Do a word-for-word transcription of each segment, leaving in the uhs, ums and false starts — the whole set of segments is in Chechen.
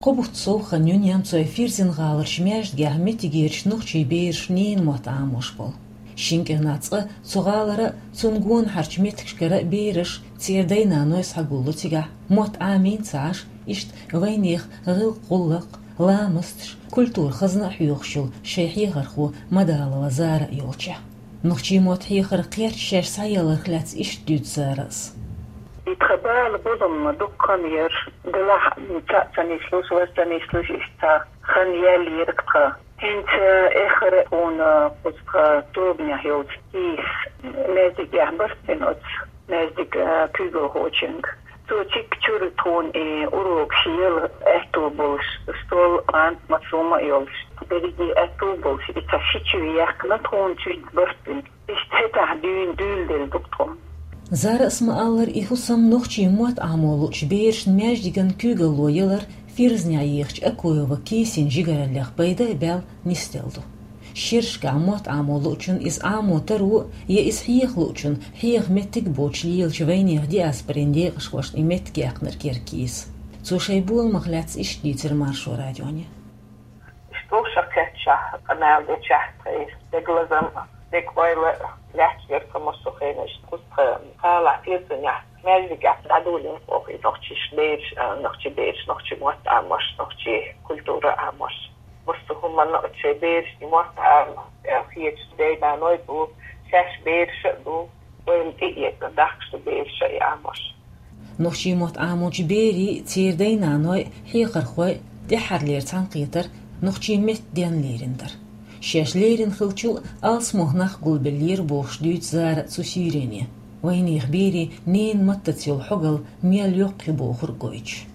Кхо бутт сов хан ю Немцойн Фирзен-гӀаларчу маьждигехь меттигерчу нохчийн бераш ненан мотт Ӏамош болу. Шина кӀирнах цкъа цу гӀалара а, цунна гонахьарчу меттигашкара а бераш, церан дай-наной схьагулло цигахь, мотт Ӏамийна ца Ӏаш, иштта вайнехан гӀиллакх-гӀуллакх, ламасташ, культура хазна а хьоьхуш йолу шайн хьехархо Мадалова Зара а йолчехь. Нохчийн мотт хьехаран кхерч шаьш схьаелларх лаьцна иштта дуьйцу Зарас. И тхан бала болу ма дуккха хан яра, делахь цхьаъ ца нислуш, важа ца нислуш, иштта хан яьлла яра тхан. ХӀинца эххар а хьуна кхуза тхан тобанехь йолчу кийс маьждигехь барт бина оцу маьждиг, а, куьйгалхочуьнга. Цо цигахь чуьра тхуна и урокаш яла аьтто болуш, стол, мант, массо а ма йолуш, берриге аьтто болуш, и цхьа ши чуьра яьккхина тхуна, цуьнца барт бина. Иштта хӀетахь дуьйна дуьйладелла ду тхо. Зарас ма-аллара, и хӀусам нохчийн мотт Ӏамо луучу берашна маьждиган куьйгалло ялар Фирзенехь ехачу Акуева Кисин жигараллех пайда а баьлла нисделла ду. Шерашкахь мотт Ӏамо луучун иза Ӏамо таро а, я иза хьеха луучун хьеха меттиг а боцуш лелачу вайнехан диаспорин декъашхошна и меттиг яьккхинарг яра Киса. Цо шайн боламах лаьцна иштта дийцира Маршо радионе. Иштта вовшах кхеттачохь, къамел дечохь тхайн дегазалла, дегайовла лаьтташ яра тхан массо а хенаш. Кхуза тхан гӀалахь Фирзенехь маьждигехь дӀадолийна оха и нохчийн бераш, а, нохчийн бераш, нохчийн мотт Ӏамош, нохчийн культура Ӏамош. Массо а хӀуманна оцу шайн берашна мотт Ӏама, а, хеташ дай-наной ду, шаьш бераш а ду, ойла тӀеэцна дахкаш ду бераш а и Ӏамош. Нохчийн мотт Ӏамочу берийн, церан дай-наной, хьехархойн тӀаьххьарлера цхьаьнакхетар нохчийн меттан денна лерина дара. Шаьш лерина хиллачул а алсамо нах гулбеллера бохуш дуьйцу Зара цу суьйрене, вайнехан берийн ненан маттаца йолу хьогалла мел йоккха ю бохург гойтуш.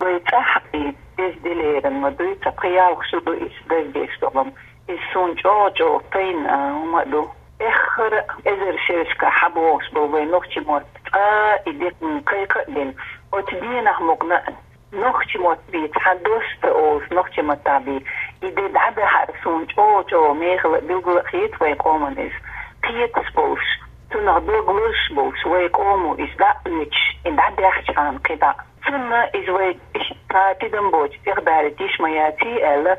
Вай цӀахь и деза де лерина ма дуй, ца пхи-ялх шо ду иза даздеш долу-м. Иза суна чӀогӀа-чӀогӀа тайна, а, хӀума а ду. Эххар а эзар шерашкахь схьабогӀуш болу вайн нохчийн мотт цкъа и де кхайкха а дина, оцу денахь мукъана а нохчийн мотт бен цхьа доста олуш, нохчийн маттахь бен и де дӀадахьар суна чӀогӀа-чӀогӀа мехала а, билггала а хета вайн къоман иза. Кхеташ болуш, цунах дог лозуш болуш, вайн къомо иза дӀа а оьцуш, и дӀадаьхьча хьуна кхидӀа а. Цунна иза вай иштта тидам боцу тӀехбаьрриг йиш ма яций аьлла,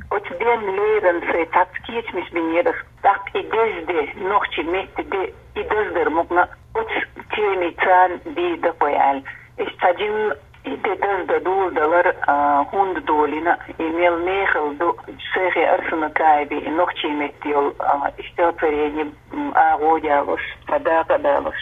оцу денна лерина сайн цхьацца кечамаш бинера ас. ТӀаккха и деза де, нохчийн меттан де, и даздар мукъана оцу темица бен дакъой аьлла. Иштта цхьа жимма и де даздан доладалар, а, хӀунда долийна, и мел мехала ду, Шайхи Арсанакаевн и нохчийн меттан йолу, а, стихотворени, м, агӀо а далош, цхьа дакъа а далош.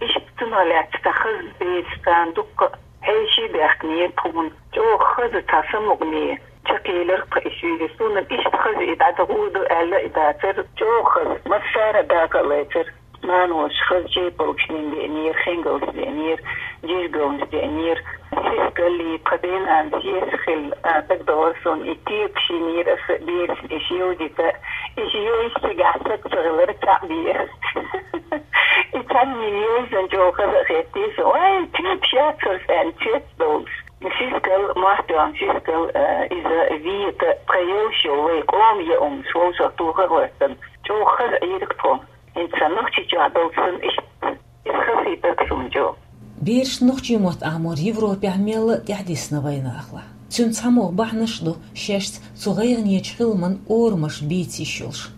Иштта цунах лаьцна цхьа хаза бераш царна дуккха а хьеший баьхкинера тхуна. ЧӀогӀа хаза цхьа самукъане чекхъелира тхан и суьйре. Суна иштта хаза и дӀадахьа ду аьлла и дацара. ЧӀогӀа хаза, массара а дакъа а лецира. Маноша хаза чепалгаш дина деанера, хингалш деанера, жижигалнаш деанера. Сискал, тхан ден-нанас еш хилла, а, дагадогӀура суна, и текаш йинера аса берашна и шевдита. И шевдита цигахь саг ца хилар цхьаъ бен. И цхьанне йовзан чӀогӀа хаза а хеттий сан. Ой, текаш яцара сан, цец долуш. Сискал, махкан сискал, а, иза вета, тхан йолуш йолу вай къоман яа хӀуманаш вовшах тоха а хӀоьттина. ЧӀогӀа хаза Ӏийриг тхо. ХӀинца сан нохчийчохь долчу санна иштта иза хазахийтарг суна чӀогӀа. Бераш нохчийн мотт Ӏамор Европехь мелла а тӀаьхьадисна вайнахалахь. Цуьнан цхьамогӀа бахьанаш а ду, шаьшца цу гӀайгӀанечу хиламан орамаш бийца йиш йолуш.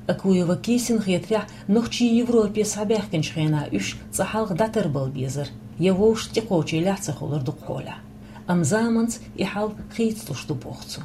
Акуева Кисина хетарехь, нохчий Европе схьабаьхкинчу хенахь уьш цкъа хьалха дӀатарбала безара, я вовшашна тӀекхочийла ца хуьлура дукха хьолахь. Амма заманца и хьал хийцалуш ду боху цо.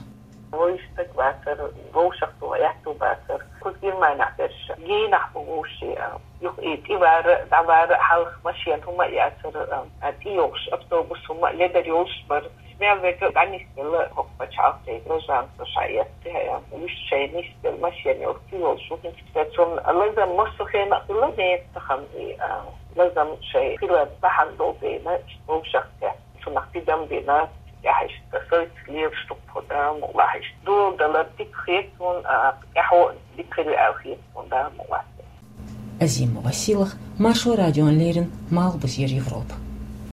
Вовшах стаг вацара, вовшах тоха аьтту бацара. Кхуза Германехь берш генахь бу вовшийн, а, юха и тӀевар а, дӀавар а, хьалха машен хӀума а яцара, а, тӀейогӀуш автобус хӀума а ледар йолуш бара. Мел верг а дӀанисделла хӀокху пачхьалкхе, гражданство шаьш эцна, а, уьш шайн нисделла машен йолуш, тӀейолуш ву хӀинца. Цуьнан лазам массо а хенахь хилла, ненан тахана и, а, лазам шайн хилар бахьана долу дела, вовшах тӀе. Цунах тидам бина, тӀаьхьа иштта сойтуш лелаш ду тхо, Дала мукъалахь, иштта доладалар дика хета суна, а, тӀаьхьо а дика хир ю аьлла хета суна, Дала мукъалахь. Азимова Сийлаха, Маршо радиона леррина, Малхбузера Европа.